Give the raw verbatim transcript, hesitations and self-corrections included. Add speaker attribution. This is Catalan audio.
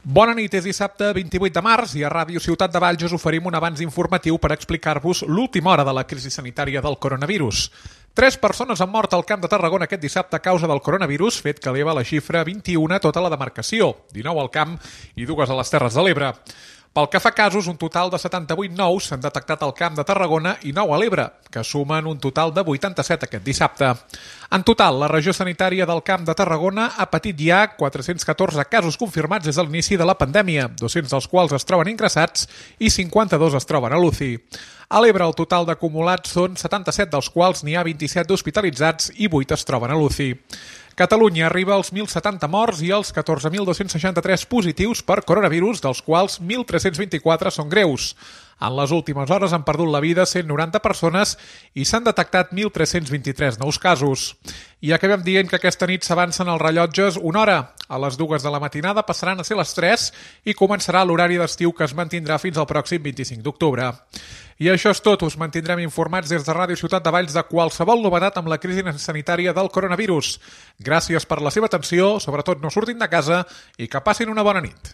Speaker 1: Bona nit, és dissabte vint-i-vuit de març i a Ràdio Ciutat de Valls us oferim un avanç informatiu per explicar-vos l'última hora de la crisi sanitària del coronavirus. Tres persones han mort al Camp de Tarragona aquest dissabte a causa del coronavirus, fet que eleva la xifra a vint-i-u a tota la demarcació, dinou al Camp i dues a les Terres de l'Ebre. Pel que fa a casos, un total de setanta-vuit nous s'han detectat al Camp de Tarragona i nou a l'Ebre, que sumen un total de vuitanta-set aquest dissabte. En total, la regió sanitària del Camp de Tarragona ha patit ja quatre-cents catorze casos confirmats des de l'inici de la pandèmia, dos-cents dels quals es troben ingressats i cinquanta-dos es troben a l'U C I. A l'Ebre, el total d'acumulats són setanta-set, dels quals n'hi ha vint-i-set d'hospitalitzats i vuit es troben a l'U C I. Catalunya arriba als mil setanta morts i als catorze mil dos-cents seixanta-tres positius per coronavirus, dels quals mil tres-cents vint-i-quatre són greus. En les últimes hores han perdut la vida cent noranta persones i s'han detectat mil tres-cents vint-i-tres nous casos. I acabem dient que aquesta nit s'avancen els rellotges una hora. A les dues de la matinada passaran a ser les tres i començarà l'horari d'estiu que es mantindrà fins al pròxim vint-i-cinc d'octubre. I això és tot, us mantindrem informats des de Ràdio Ciutat de Valls de qualsevol novetat amb la crisi sanitària del coronavirus. Gràcies per la seva atenció, sobretot no surtin de casa i que passin una bona nit.